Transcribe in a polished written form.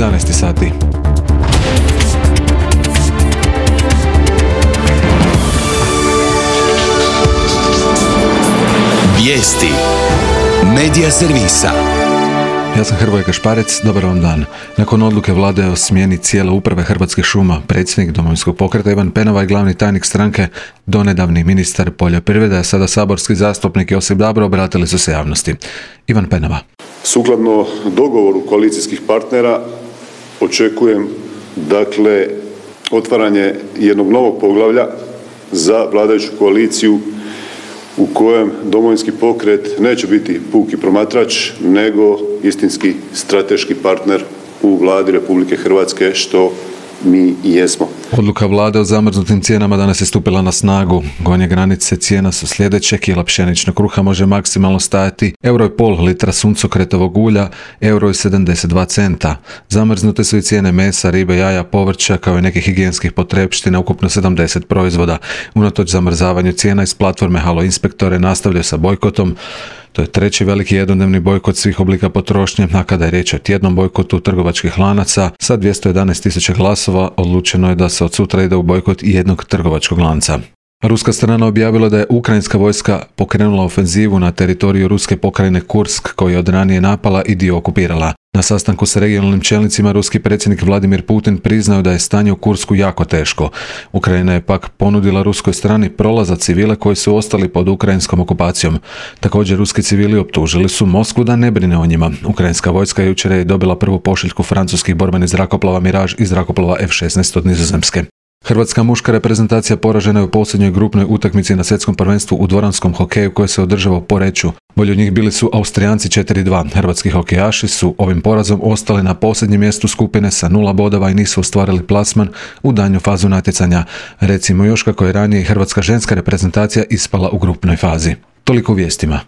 11 sati. Vijesti Medija servisa. Ja sam Hrvoje Kašparec, dobar vam dan. Nakon odluke vlade o smjeni cijele uprave Hrvatskih šuma, predsjednik Domovinskog pokreta Ivan Penava i glavni tajnik stranke, donedavni ministar poljoprivrede, a sada saborski zastupnik Josip Dabro, obratili su se javnosti. Ivan Penava. Sukladno dogovoru koalicijskih partnera očekujem otvaranje jednog novog poglavlja za vladajuću koaliciju u kojem Domovinski pokret neće biti puki promatrač, nego istinski strateški partner u Vladi Republike Hrvatske, što mi i jesmo. Odluka vlade o zamrznutim cijenama danas je stupila na snagu. Gornje granice cijena su sljedeće: kila pšeničnog kruha može maksimalno stajati €1,5, litra suncokretovog ulja €1,72 centa. Zamrznute su i cijene mesa, ribe, jaja, povrća, kao i nekih higijenskih potrepština, ukupno 70 proizvoda. Unatoč zamrzavanju cijena iz platforme Halo Inspektore nastavljaju sa bojkotom. To je treći veliki jednodnevni bojkot svih oblika potrošnje, a kada je riječ o tjednom bojkotu trgovačkih lanaca, sa 211.000 glasova odlučeno je da se od sutra ide u bojkot jednog trgovačkog lanca. Ruska strana objavila da je ukrajinska vojska pokrenula ofenzivu na teritoriju ruske pokrajine Kursk, koju je od ranije napala i dio okupirala. Na sastanku sa regionalnim čelnicima ruski predsjednik Vladimir Putin priznao da je stanje u Kursku jako teško. Ukrajina je pak ponudila ruskoj strani prolaz za civile koji su ostali pod ukrajinskom okupacijom. Također ruski civili optužili su Moskvu da ne brine o njima. Ukrajinska vojska jučer je dobila prvu pošiljku francuskih borbenih zrakoplova Mirage i zrakoplova F-16 od Nizozemske. Hrvatska muška reprezentacija poražena je u posljednjoj grupnoj utakmici na svjetskom prvenstvu u dvoranskom hokeju koje se održava u Poreču. Bolji od njih bili su Austrijanci 4:2. Hrvatski hokejaši su ovim porazom ostali na posljednjem mjestu skupine sa 0 bodova i nisu ostvarili plasman u daljnju fazu natjecanja. Recimo još kako je ranije hrvatska ženska reprezentacija ispala u grupnoj fazi. Toliko u vijestima.